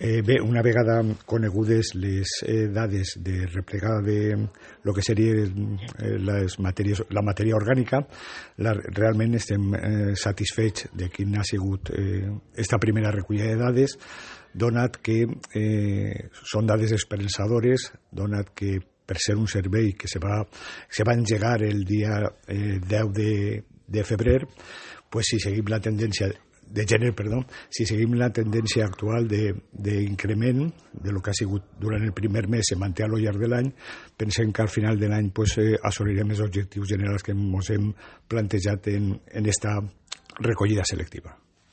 Bé, una vegada conegudes les dades de replegada de lo que seria la matèria orgànica, realment estem satisfets de quina ha sigut esta primera recollida de dades, donat que són dades esperançadores, donat que per ser un servei que se va engegar el dia 10 de febrer, pues si seguim la tendència de gener, si seguim la tendència actual d'increment de lo que ha sigut durant el primer mes, se manté a lo llarg de l'any, pensem que al final de l'any assolirem els objectius generals que ens hem plantejat en esta recollida selectiva.